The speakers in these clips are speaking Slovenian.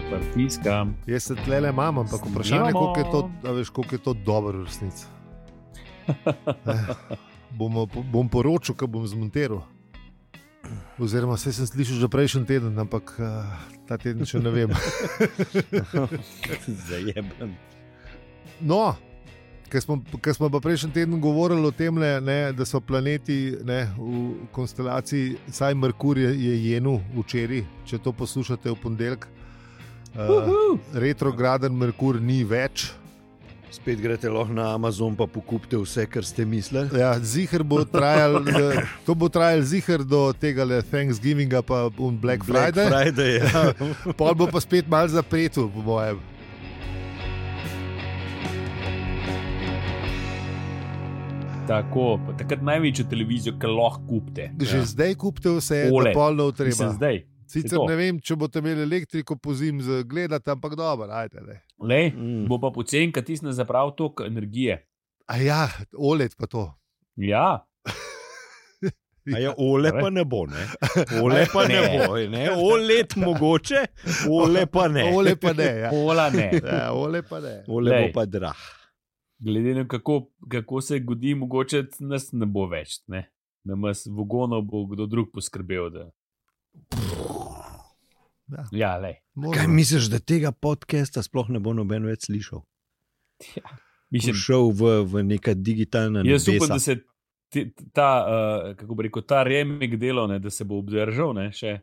Pritiskam. Jaz se tlele imam, ampak vprašanje, koliko je to dobro v resnici. Bom poročil, ko bom zmontiral. Oziroma, vse sem slišal že prejšnji teden, ampak ta teden še ne vem. Zajeben. No, ker smo pa prejšnji teden govorili o tem, da so planeti v konstelaciji, saj Merkur je jenul včeraj, če to poslušate v ponedeljek. Retrograden Merkur ni več. Spet greste lahko na Amazon pa pokupite vse, kar ste mislili. Ja, ziher bo trajal, to bo trajal ziher do tega Thanksgivinga pa Black Friday, ja. Pol bo pa spet malo zapretu, po mojem. Tako, takrat največjo televizijo, ki lahko kupite. Že zdaj kupite vse, OLED. da pol ne treba. Mislim, zdaj. Sicer ne vem, če boste imeli elektriko po zim gledati, ampak dobro, ajde. Lej, bo pa pocen, kad tisne zaprav toliko energije. A ja, OLED pa to. Ja. A ja, OLED pa ne bo, ne? OLED pa ne bo, ne? OLED mogoče, OLED pa ne. OLED pa ne, ja. Ola ne. Ja, OLED pa ne. OLED bo pa drah. Glede na kako se godi, mogoče nas ne bo več, ne? Namas vogonov bo kdo drug poskrbel, da... Ja, lej. Kaj misliš, da tega podcasta sploh ne bo noben več slišal? Ja, mislim, šel v neka digitalna nebesa. Jaz upam, da se kako bi rekel, ta remik delo, ne, da se bo obdržal, ne, še.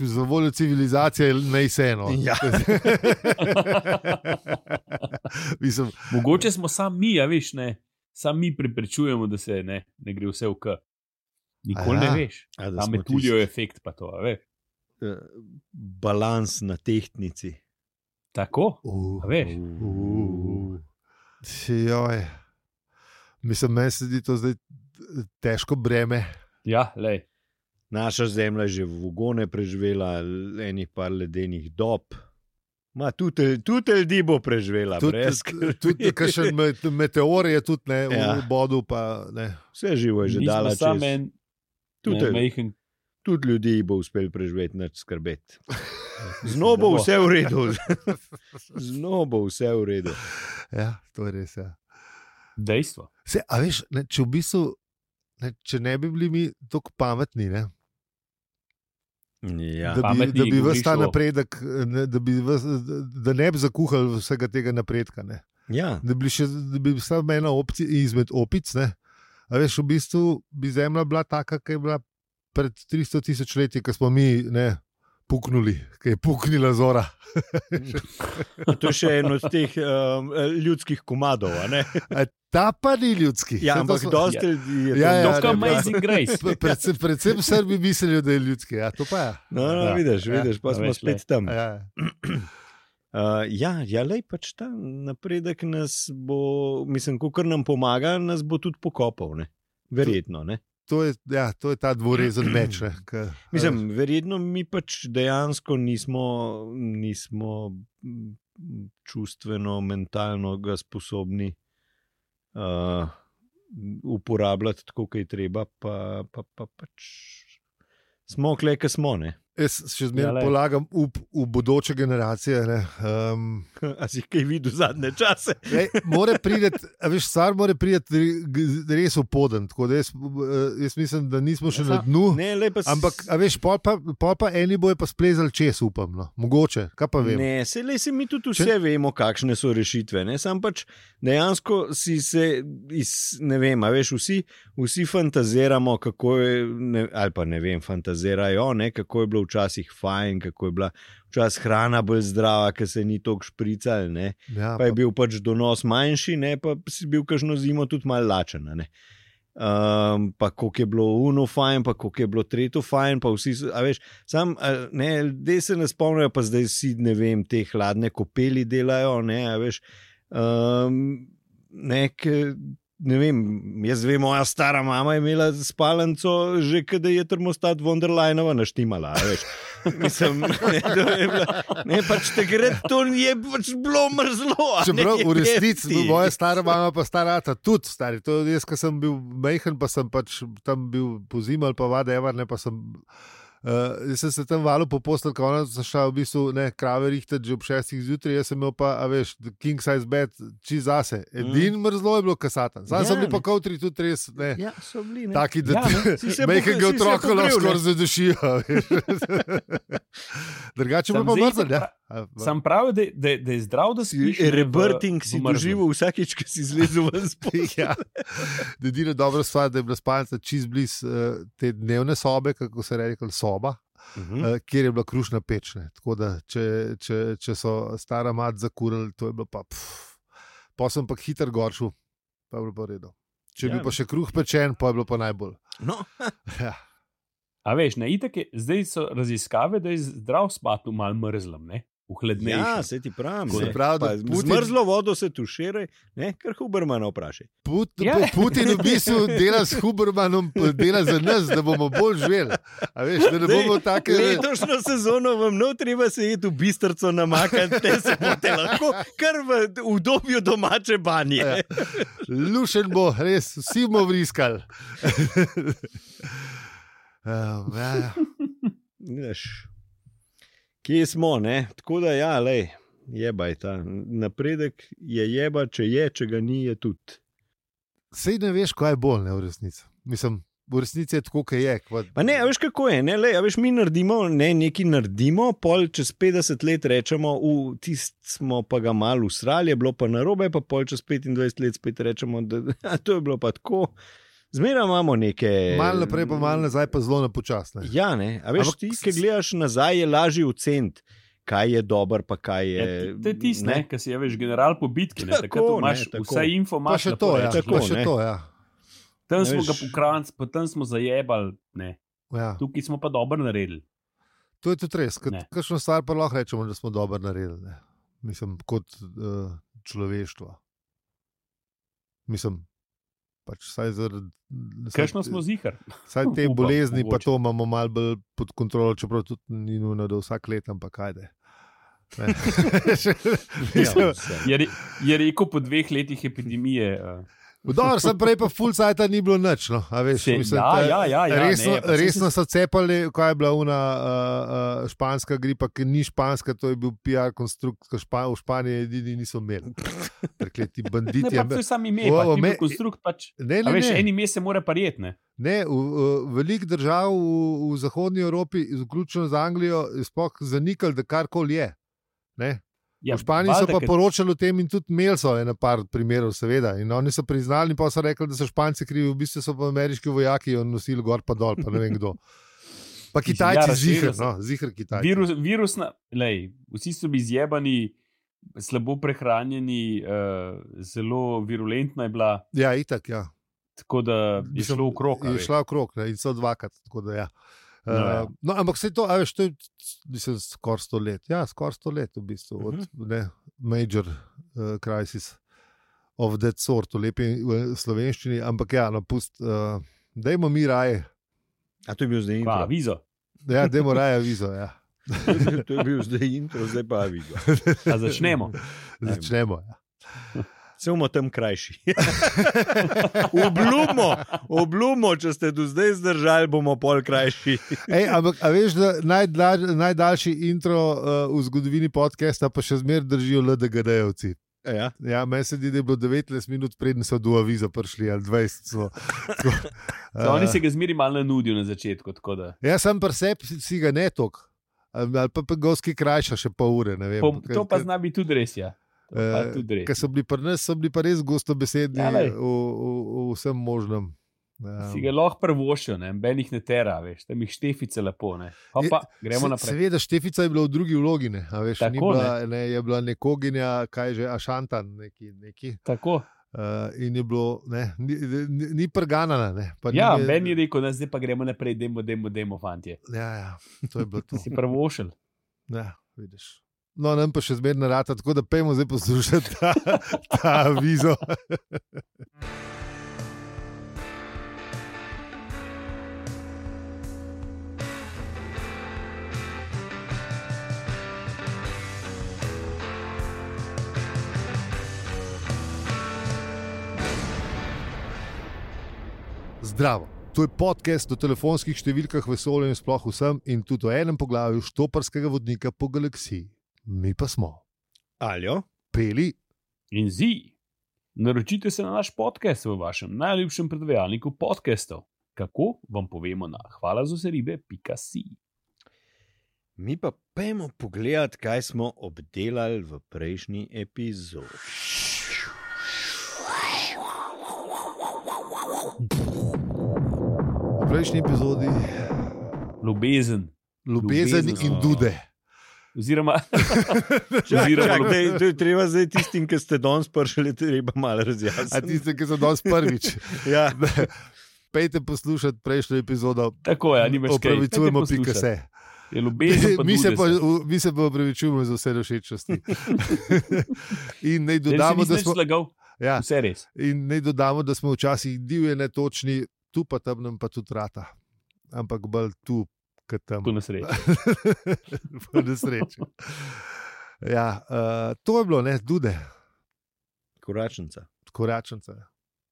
Za voljo civilizacije naj se eno. Ja. Mislim, mogoče smo sam mi, a veš, ne, sam mi preprečujemo, da se ne gre vse v k. Nikoli ne veš. Tam je tulijo efekt pa to, a veš. Balans na tehtnici. Tako? A veš? Joj. Mislim, meni se zdi to zdaj težko breme. Ja, lej. Naša zemlja je že v vogone preživela enih par ledenih dob. Tudi ljudi bo preživela. Tudi kakšen meteor je tudi ne, v bodu. Pa, ne. Vse živo je že dala čez. Tudi ljudi bo uspel preživeti, nič skrbeti. Znova bo vse v redu. Znova bo vse v redu. Ja, to je res. Ja. Dejstvo. A veš, če v bistvu, če ne bi bili mi tako pametni, ne? Ja. Da bi ves ta napredek, da ne bi zakuhali vsega tega napredka. Ne? Ja. Da bi samo ena opcija izmed opic. Ne? A veš, v bistvu bi zemlja bila taka, ki je bila pred 300,000 leti, ko smo mi puknuli, ki je puknila zora. To je še en od teh ljudskih komadov, a ne? Ta pa ni ljudski. Ja, ampak dosti ljudi je to. To Amazing Grace. Predvsem Srbi mislijo, da je ljudski. Ja, to pa je. No, vidiš, pa smo spet tam. Ja, lej, pač ta napredek nas bo, mislim, kakor nam pomaga, nas bo tudi pokopal, ne? Verjetno, ne? To je ta dvorezen meč. Mislim, verjetno mi pač dejansko nismo čustveno, mentalno ga sposobni uporabljati tako, kaj treba, pa pač smo kle, kaj smo, ne? Jaz še zmeraj polagam v bodoče generacije. A si kaj videl zadnje čase? Stvar mora priti res v poden. Tako da jaz mislim, da nismo še na dnu. Ampak, pol pa eni bojo pa splezali čez, upam. No. Mogoče, kaj pa vem. Ne, se mi tudi vse vemo, kakšne so rešitve. Ne? Sam pač dejansko si se, ne vem, vsi fantaziramo, kako je, ali pa ne vem, fantazirajo, ne, kako je bilo včasih fajn, kako je bila včasih hrana bolj zdrava, ker se ni toliko šprical, ne. Ja, pa je bil pač donos manjši, ne, pa si bil kakšno zimo tudi malo lačen, ne. Pa koliko je bilo uno fajn, pa koliko je bilo tretjo fajn, pa vsi, a veš, sam, ne, ljudje se ne spomnijo, pa zdaj si, ne vem, te hladne kopeli delajo, ne, a veš, ne vem, jaz vem, moja stara mama je imela spalnico že, kada je termostat Wonderlinova naštimala, veš. Mislim, ne, pač takrat to je pač bilo mrzlo. Čeprav v resnici, moja stara mama pa starata tudi, stari. To jaz, ko sem bil mejhen, pa sem pač tam bil po zimi ali pa whatever, ne, pa sem Jaz sem se tam valil po postelj, ko ona zašla v bistvu krave rihtati že ob 6 zjutraj, jaz sem imel pa, king size bed, čist zase. Edin mrzlo je bilo kasatan. Sam sem bil pa koutri tudi res, so bili, taki, da mehkega otroka lahko skoraj zadušijo. Drugače bo pa mrzel, ja. Sam pravi, da je zdrav, da si rebrting si doživel vsakič, ko si zlezel ven spod. Edina dobra stvar, da je bila spalnica čist bliz te dnevne sobe, kako se reče, soba, kjer je bila krušna peč. Tako da, če so stara mat zakurili, to je bilo pa pa sem pa hiter goršel, pa je bilo pa redo. Če bi pa še kruh pečen, pa je bilo pa najbolj. No. Ja. A veš, itak je, zdaj so raziskave, da je zdrav spati v mal mrzlem, v hladnejšem. Ja, se ti pravim. Zmrzlo vodo se tuširaj, kar Hubermana vprašaj. Putin v bistvu dela s Hubermanom, dela za nas, da bomo bolj živeli. A veš, da ne bomo take... Letošnjo sezono vam treba se jeti v bistrco namakati, te se bote lahko kar v dobju domače banje. Ja. Lušen bo, res, vsi bomo vriskali. Kje smo, tako da jebaj ta napredek je jeba, če ga ni, je tudi. Sej ne veš, kaj je bolj, v resnici. Mislim, v resnici je tako, kaj je. Pa ne, a veš kako je, mi naredimo, nekaj naredimo, pol čez 50 let rečemo, smo pa ga malo usrali, je bilo pa narobe, pa pol čez 25 let spet rečemo, da to je bilo pa tako. Zmeraj imamo neke... Malo naprej, pa malo nazaj, pa zelo napočasne. Ja, a veš, ti, ki gledaš nazaj, je lažje oceniti, kaj je dober, pa kaj je... To je tisto, ki si je, veš, general po bitki, takrat imaš vse info, imaš na to, ja. Tam smo ga pokranci, pa tam smo zajebali, Ja. Tukaj smo pa dobro naredili. To je tudi res, kakšno stvar pa lahko rečemo, da smo dobro naredili, Mislim, kot človeštvo. Mislim... Kakšno smo zihar. Saj te bolezni pa to imamo malo bolj pod kontrolo, čeprav tudi ni nujno, da vsak let, ampak ajde. Je rekel po 2 letih epidemije. Dobro, sem prej pa full sajta ni bilo nič. No. Veš, resno so cepali, kaj je bila una španska gripa, ki ni španska, to je bil PR konstrukt, ki v Španiji edini niso imeli. Prekleti banditi. Ne, pa to je sam ime, pa ti bil konstrukt pač. Veš, en ime se mora parjet, Ne, velik držav v zahodnji Evropi, vključno z Anglijo, je sploh zanikali, da karkoli je. V Španiji so pa poročali o tem in tudi imeli so ena par primerov, seveda. In oni so priznali in pa so rekli, da so Španci krivi, v bistvu so pa ameriški vojaki nosili gor pa dol, pa ne vem kdo. Pa Kitajci zihr Kitajci. Vsi so bili zjebani, slabo prehranjeni, zelo virulentna je bila. Ja, itak, ja. Tako da je šlo v krog. Je šla v krog in so dvakrat, tako da ja. No, ampak se to, veš, to je skoraj 100 let. Ja, skoraj 100 let v bistvu. Od major crisis of that sort, v lepi slovenščini. Ampak ja, dajmo mi raje. A to je bil zdaj intro? Avizo. Ja, dajmo raje avizo, ja. To je bil zdaj intro, zdaj pa avizo. A začnemo? Začnemo, ja. Se bomo tam krajši. Obljubo, če ste do zdaj zdržali, bomo pol krajši. Ampak a veš, da najdaljši intro v zgodovini podcasta pa še zmeraj držijo LDGD-jevci. Ja, meni se zdi, da je bilo 19 minut preden so do aviza prišli, ali 20 so. Oni se ga zmeraj malo nanudijo na začetku. Ja, sam pri sebi si ga ne tok. Ali pa goski krajša še pol ure, ne vem. To pa zna biti tudi res, ja. Ker so bili pri nas, so bili pa res gostobesedni v vsem možnem. Si ga lahko prvošil, ben jih ne tera, veš, tam jih Štefica lepo. Pa, gremo naprej. Seveda, Štefica je bila v drugi vlogi, veš, tako, je bila nekoginja, kaj že, Ašantan neki. Tako. In je bilo, ni prganana. Ja, ben je rekel, zdaj pa gremo naprej, demo, fantje. Ja, to je bilo to. Si prvošil. Ja, vidiš. No, nam pa še zmerno rata, tako da pejmo zdaj poslušati ta avizo. Zdravo. To je podcast o telefonskih številkah, vesolju in sploh vsem in tudi o enem poglavju štoparskega vodnika po galaksiji. Mi pa smo Aljo, Peli in Zi. Naročite se na naš podcast v vašem najljubšem predvajalniku podcastov. Kako vam povemo na hvalazoseribe.si. Mi pa pojmo pogledati, kaj smo obdelali v prejšnji epizodi. V prejšnji epizodi Ljubezen in dude. Oziroma, treba zdaj tistim, ki ste danes prišli, treba malo razjasniti. A tistim, ki so danes prvič. Ja. Pejte poslušati prejšnjo epizodo. Tako je, nimaš kaj. Opravičujemo pika.se. Mi se pa opravičujemo za vse všečnosti. In naj dodamo, da smo ja, vse res. In naj dodamo, da smo včasih divje netočni, tu pa tam nam pa tudi rata. Ampak bolj tu, kot tam. Po nesreči. Po nesreči. Ja, to je bilo, ne, dude. Koračnica.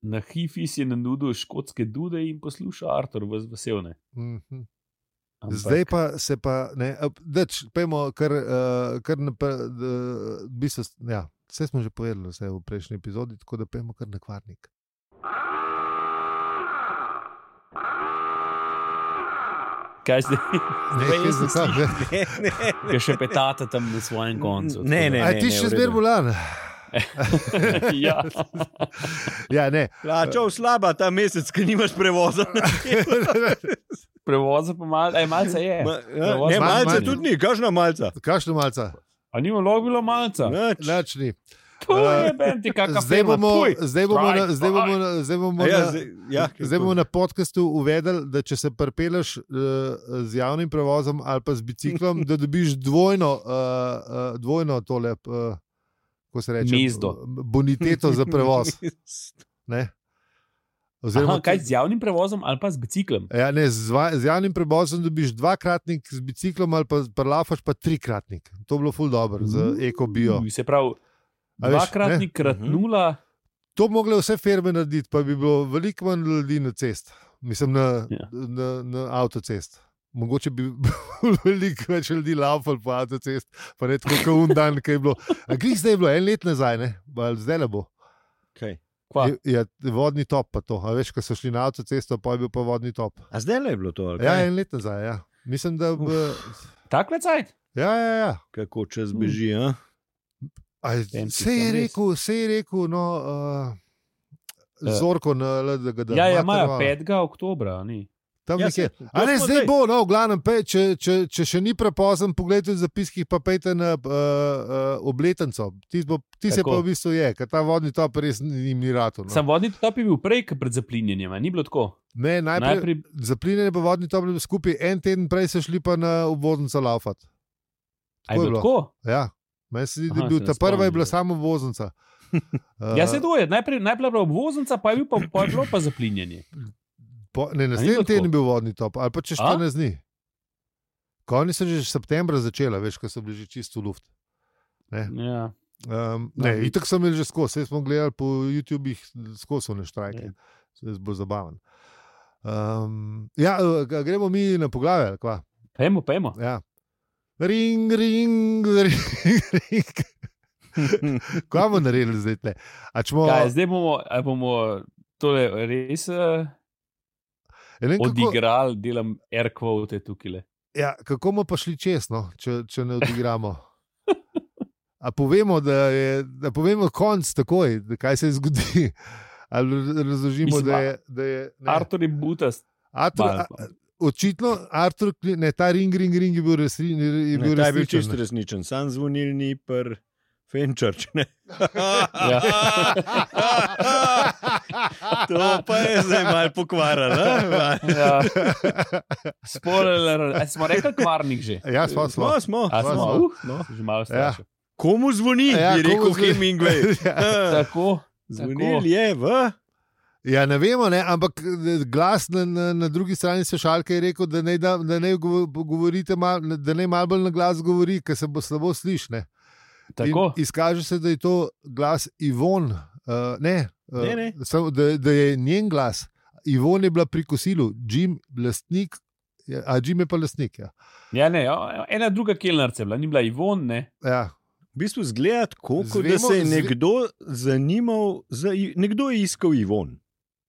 Na Hifis je nanudil škotske dude in posluša Artur vas veselne. Zdaj pa se pa, ne, pojmo kar ja, vse smo že povedali vse v prejšnji epizodi, tako da pojmo kar na Kvarnik. Kaj zdaj? Ne. Kaj še petate tam na svojem koncu? Ne. A ti še zmer bolan? Ja. Ja, ne. Plačal slaba ta mesec, ki nimaš prevoza. Prevoza pa malce je. Ne, malce tudi ni, kakšna malca? A nima log bilo malca? Nič ni. To je benti kakšna firma. Zdaj bomo na podcastu uvedeli, da če se pripeleš z javnim prevozom ali pa z biciklom, da dobiš dvojno tole, ko se reče, boniteto za prevoz. Ne? Oziroma, kaj z javnim prevozom ali pa z biciklom? Ja, ne, z javnim prevozom dobiš dvakratnik, z biciklom ali pa prelafaš pa trikratnik. To je bilo ful dobro za eko-bio. Se pravi, dvakratnik krat nula. To bi mogle vse firme narediti, pa bi bilo veliko manj ljudi na cest. Mislim, na avtocest. Mogoče bi veliko več ljudi laufali po avtocest, pa ne tako kot un dan, ki je bilo. A glih zdaj je bilo 1 let nazaj, ne? Zdaj ne bo. Kaj? Je vodni top pa to. A veš, ko so šli na avtocesto, pa je bil pa vodni top. A zdaj le je bilo to? Ja, 1 let nazaj, ja. Mislim, da... Takle cajt? Ja. Kako čas beži, ja? Se je rekel, no... Zorko na LDGD. Ja, imajo 5. oktobra, ni? Tam nekje. A ne, zdaj bo, no, v glavnem, če še ni prepozen, pogledajte v zapiskih, pa pejte na obletenco. Ti se pa v bistvu je, ker ta vodni top res jim ni rato. No. Sam vodni top je bil prej, pred zaplinjenjem, ni bilo tako? Ne, najprej zaplinjenje pa vodni top je bil skupaj, 1 teden prej so šli pa na obvoznico laufat. A je bilo tako? Ja, meni se zdi, da je bil, ta prva je bila samo obvoznica. Ja, se to je, najprej bila obvoznica, pa je bilo pa zaplinjenje. Ne, naslednji teden je bil vodni top, ali pa čez 14 dni. Oni so že septembra začela, veš, ko so bili že čisto v luft. Ja. Itak so imeli že skozi, vse smo gledali po YouTubih, skozi so ne štrajke. Se je bolj zabaven. Gremo mi na poglavje, ali kva? Pejmo. Ja. Ring. Kaj bomo naredili zdaj tle? Zdaj bomo tole res... Odigrali, delam air quote tukaj. Ja, kako bomo pa šli čez, no, če ne odigramo? A povemo, da povemo konc takoj, kaj se zgodi? Ali razložimo, da je Artur je butast. Očitno, Artur, ne, ta ring je bil resničen. Ta je bil čisto resničen, sam zvonilni Fenchurch, ne? Ja. To pa je zdaj malo pokvarjalo. Ja. Spoiler, smo rekli Kvarnik že? Ja, smo. Že malo strašil. Komu zvoni, bi rekel Hemingway. Tako. Zvonil je v... Ja, ne vemo, ne, ampak glas na drugi strani slušalke je rekel, da ne govorite, da ne malo bolj na glas govori, ker se bo slabo slišne. Izkaže se, da je to glas Ivon, da je njen glas. Ivon je bila pri kosilu, Jim lastnik, Jim je pa lastnik. Ja, ne, ena druga kelnarca je bila, ni bila Ivon, ne. Ja. V bistvu zgleda tako, da se je nekdo zanimal, nekdo je iskal Ivon.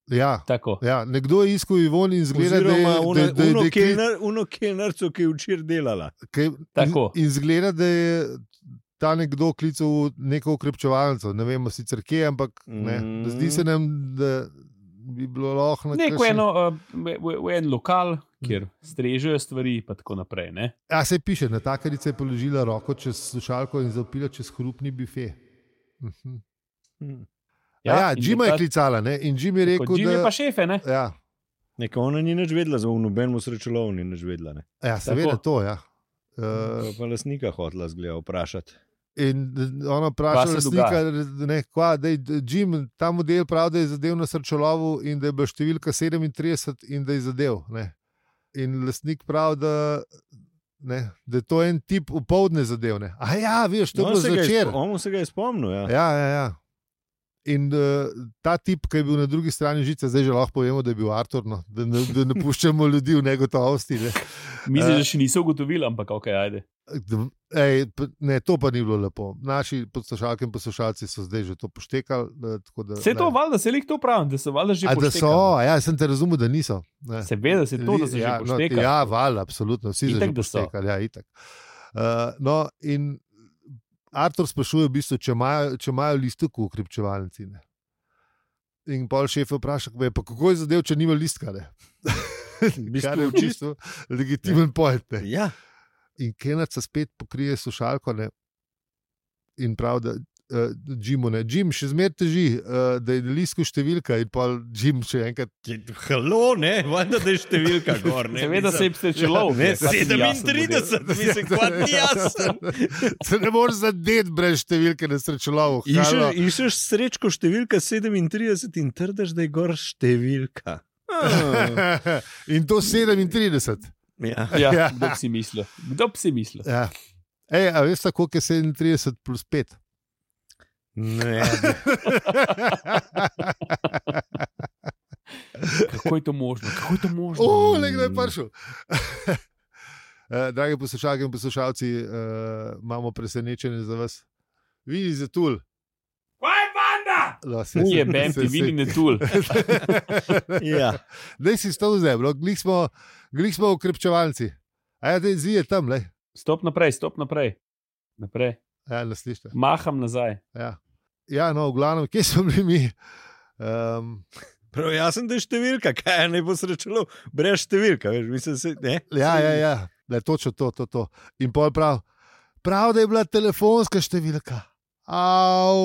Ja, tako. Ja, nekdo je iskal Ivon in zgleda, da je uno kelnarco, ki je včeraj delala. In zgleda, da je ta nekdo klical neko ukrepčevalnico, ne vemo sicer kje, ampak ne. Zdi se nam, da bi bilo lahko na v en lokal, kjer strežejo stvari, pa tako naprej. Ne? Ja, se piše, natakarica je položila roko čez slušalko in zapila čez hrupni bife. Jima je klicala, ne? In Jim je rekel, Jim je pa šefe, ne? Ja. Neka ona ni nič vedela, za nobenemu srečolovu ni nič vedela, ne? Ja, seveda to, ja. Pa lastnika hotela zgleda vprašati. In ona vpraša lastnika, da je Jim, ta model pravi, da je zadev na srečolovu in da je bila številka 37 in da je zadev, ne? In lastnik pravi, da je to en tip upoldne zadevne. Veš, to je bilo zvečer. On se ga je spomnil, ja. Ja. In ta tip, ki je bil na drugi strani žice, zdaj že lahko povemo, da je bil Artur, no, da ne puščamo ljudi v negotovosti. Ne. Mislim, da še niso ugotovili, ampak ok, ajde. Ne, to pa ni bilo lepo. Naši poslušalke in poslušalci so zdaj že to poštekali. Se je to valjda, se je lik to pravim, da so valjda že poštekali. Ja, sem te razumel, da niso. Seveda se je to, da so že poštekali. Ja, valjda, absolutno, vsi so že poštekali. Ja, itak. In Artur sprašuje v bistvu, če imajo listek v ukrepčevalnici. In pol šef vpraša, pa kako je zadev, če nima listka. Kar je v bistvu legitimen point. Ja. In kelnarca spet pokrije slušalko in pravi, da Jimu ne. Jim še zmeraj teži, da je na listku številka in pa Jim še enkrat. Halo, ne, valjda, da je številka gor. Seveda se je srečelov. 37, mislim, kvat ni jasen. Se ne moreš zadeti brez številke na srečelovu. Iščeš srečko številka 37 in trdaš, da je gor številka. In to 37. Ja, kdo bi si mislil? Ja. A veš tako, koliko je 37 plus 5? Ne. Kako je to možno? Nekdo je prišel. Dragi poslušalke in poslušalci, imamo presenečenje za vas. Vidi za tul. Kaj je banda? Je benti, vidi ne tul. Ja. Daj si stov zemljo, glih smo ukrepčevalci. Daj zije tam, le. Stop naprej. Ja, naslište. Maham nazaj. Ja, no, v glavnem, kje smo bili mi? Prav, jaz sem da številka, kaj ne bo srečalo, brez številka, veš, mislim se, ne? Ja, da je točno to. In pol prav, da je bila telefonska številka. Au.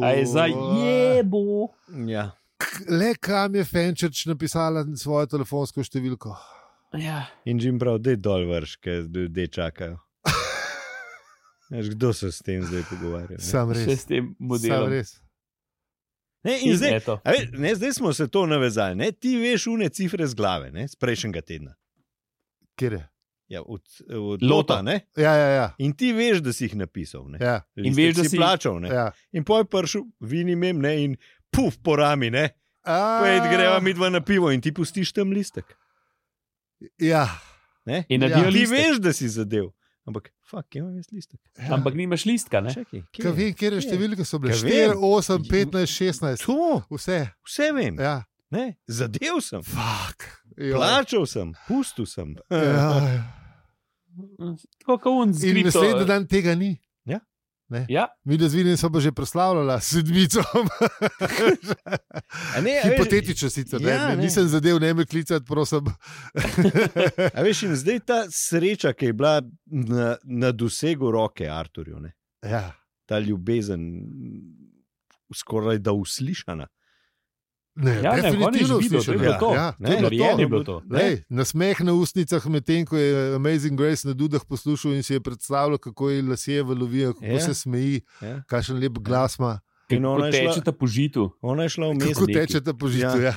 A je za jebo. Ja. Le kam je Fenčerč napisala svojo telefonsko številko. Ja. In Jim prav, dej dol vrš, ker ljudje čakajo. Kdo se s tem zdaj pogovarja? Sam res. Še s tem modelom. Sam res. Zdaj smo se to navezali. Ne? Ti veš une cifre z glave, ne? Z prejšnjega tedna. Kjer je? Ja, od Lota, ne? Ja. In ti veš, da si jih napisal, ne? Ja. In veš, da si plačal, ne? Ja. In poj prišel, vinim im, ne? In puf, po rami, ne? Pojd greva midva na pivo in ti pustiš tam listek. Ja. Ne? In ti veš, da si zadev. Ampak, imam jaz listek. Ja. Ampak nimaš listka, ne? Kaj vem, kjer številke so bile? 4, 8, 15, 16. To? Vse vem. Ja. Ne, zadev sem. Plačal sem, pustil sem. Tako kot on zgrito. In naslednji dan tega ni. Ja. Mi da z Vinim so pa že proslavljala s sedmicom. Hipotetično sicer, nisem zadev, ne me klicati, prosim. A veš, in zdaj ta sreča, ki je bila na dosegu roke Arturju, ne? Ja. Ta ljubezen skoraj da uslišana. Ne, definitivno slišana. Je bilo to. Nasmeh na ustnicah, medtem ko je Amazing Grace na Dudah poslušal in si je predstavljal, kako je lasje valovijo, kako se smeji, kakšen lep glas ima. Kako tečeta po žitu. Ona je šla v mest. Kako tečeta po žitu, ja.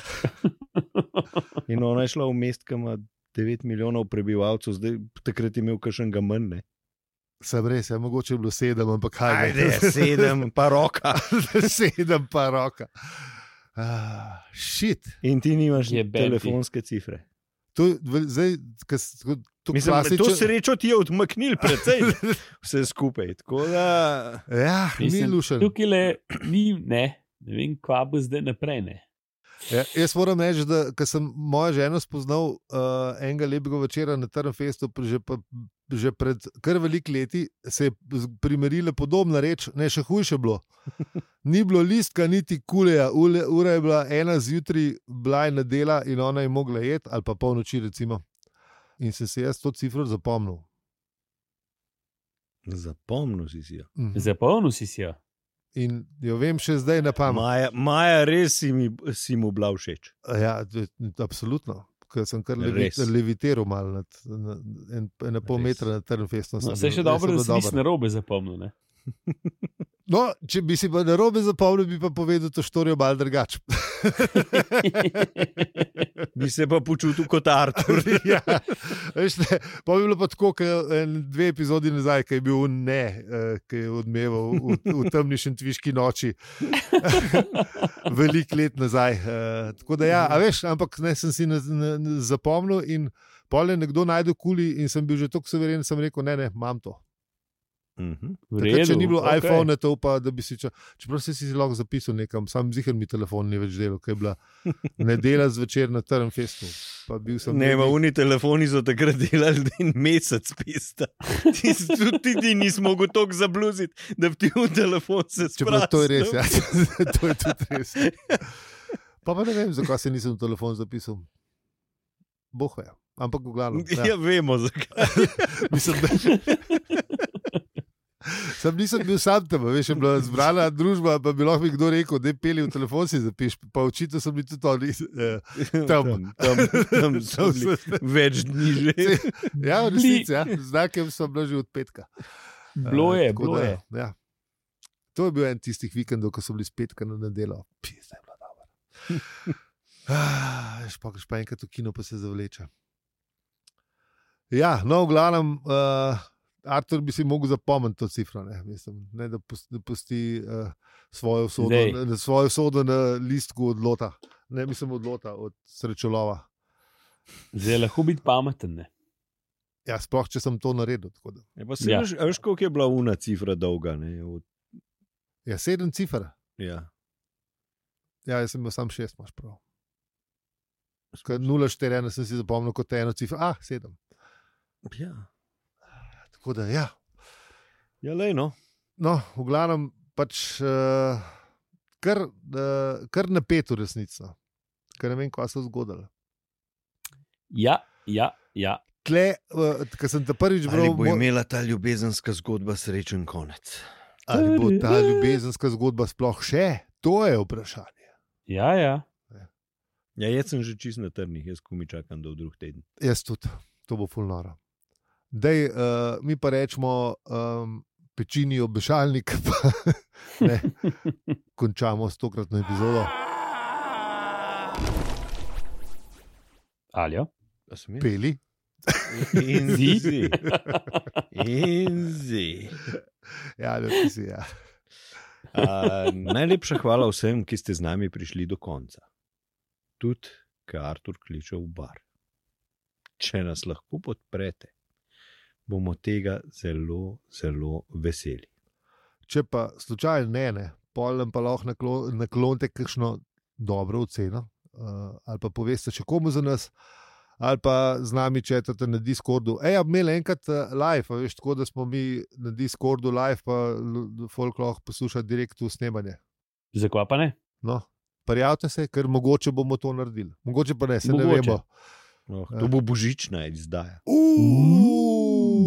In ona je šla v mest, ki ima 9 milijonov prebivalcev, zdaj takrat je imel kakšnega manj, ne? Sem res, mogoče je bilo 7, ampak kaj ne. Ajde, 7 pa roka. 7 pa roka. Shit. In ti nimaš telefonske cifre. Mislim, to srečo ti je odmaknil precej vse skupaj. Da... Ja, ni lušen. Tukaj ne vem, kva bo zdaj naprej. Ne. Ja, jaz moram reči, da ko sem mojo ženo spoznal enega lepega večera na Trnfestu, že pred kar veliko leti, se je primerila podobna reč, ne, še hujše bilo. Ni bilo listka, niti kuleja, ura je bila 1 zjutraj, bila je nedela in ona je mogla jeti, ali pa polnoči recimo. In sem se jaz to cifro zapomnil. Zapomnil si jo. Zapomnil si jo. In jo vem še zdaj na pamet. Maja, res si mu bila všeč. Ja, absolutno. Ker sem kar levitiral malo na pol metra na Trnfestu. No, se še dobro, da si nisi narobe zapomnil, ne? No, če bi si pa narobe zapomnil, bi pa povedal to štorijo malo drugače. Bi se pa počutil kot Artur. Ja, veš, pa bi bilo pa tako, 2 epizodi nazaj, ki je bil ki je odmeval v temni šentviški noči. Veliko let nazaj. Tako da ja, a veš, ampak ne, sem si zapomnil in pol je nekdo najdel kuli in sem bil že toliko severen, sem rekel, ne, imam to. Takrat, če ni bilo iPhone, to pa, da bi si čeprav si lahko zapisal nekam, sam ziher mi telefon ni več delal, ker je bila nedela zvečer na Trnfestu. Oni telefoni so takrat delali en mesec pista. Ti nisi mogel toliko zabluziti, da bi ti v telefon se sprastil. Čeprav to je res, ja. To je tudi res. Pa ne vem, zakaj se nisem v telefon zapisal. Boh ve, ampak v glavnem. Ja, vemo zakaj. Mislim, da... Nisem bil sam tam, veš, je bila zbrana družba, pa bi lahko mi kdo rekel, da je peli v telefon si zapiš, pa očitno so bili tudi oni tam so bili več dni že. Ja, v resnici, ja, znakem so bila že od petka. Bilo je. Ja. To je bil en tistih vikendov, ko so bili z petka na nedelo. Zdaj je bila dobra. Greš pa enkrat v kino, pa se zavleče. Ja, no, v glavnem, Artur bi si mogel zapomniti to cifro, ne, da pusti svojo usodo na listku od lota. Ne, mislim od lota, od srečolova. Zdaj lahko biti pameten, ne? Ja, sploh, če sem to naredil. Veš, koliko je bila una cifra dolga? Ja, 7 cifr. Ja. Ja, jaz sem imel sam 6, imaš prav. 0,4 sem si zapomnil kot eno cifro. 7. Ja. Tako da, ja. Ja, lej, no. No, v glavnem, pač kar napet v resnici. Ker ne vem, kaj se je zgodilo. Ja. Tle, ko sem te prvič bral... Ali bo imela ta ljubezenska zgodba srečen konec? Ali bo ta ljubezenska zgodba sploh še? To je vprašanje. Ja. Ja, jaz sem že čist na trnih, jaz ko mi čakam do drug teden. Jaz tudi, to bo ful noro. Dej, mi pa rečemo pečini obešalnik, pa ne, končamo s tokratno epizodo. Aljo? Peli. In zi. Ja, ti si, ja. Najlepša hvala vsem, ki ste z nami prišli do konca. Tudi, ko Artur kliče v bar. Če nas lahko podprete, bomo tega zelo, zelo veseli. Če pa slučajno ne, polem pa lahko naklonite kakšno dobro oceno, ali pa poveste še komu za nas, ali pa z nami četate na Discordu. Imeli enkrat live, veš, tako da smo mi na Discordu live, pa folk lahko posluša direkt v snemanje. Zakaj pa ne? No, prijavite se, ker mogoče bomo to naredili. Mogoče pa ne, se ne vemo. To bo božična izdaja.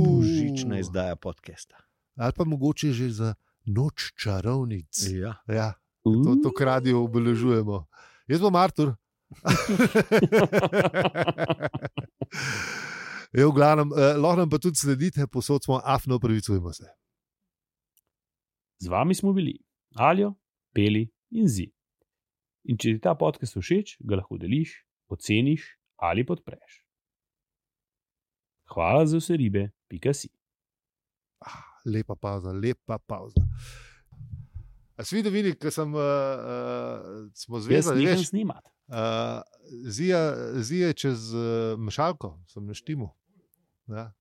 Božična izdaja podcasta. Ali pa mogoče že za noč čarovnic. Ja. To kradijo obeležujemo. Jaz bom Artur. V glavnem, lahko nam pa tudi sledite, posod smo afno, opravičujemo se. Z vami smo bili Aljo, Peli in Zi. In če ti ta podcast všeč, ga lahko deliš, oceniš ali podpreš. Hvala za vse ribe, .si. Lepa pauza. A si videl, Vini, ker smo zvezali, veš? Snimati. Zije čez mešalko, sem na štimu. Ja.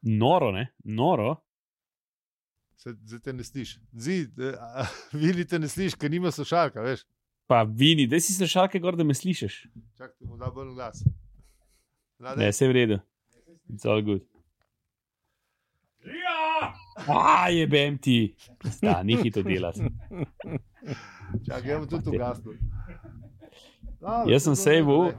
Noro, ne? Noro. Zdaj te ne slišiš. Vini te ne slišiš, ker nima slušalka, veš. Pa Vini, da si slušalke gor, da me slišiš. Čak, ti mu da bolj glas. Ne, vse v redu. It's all good. Jebem ti. Ni hito delati. Čak, gremo tudi v gasno. Jaz sem sejval.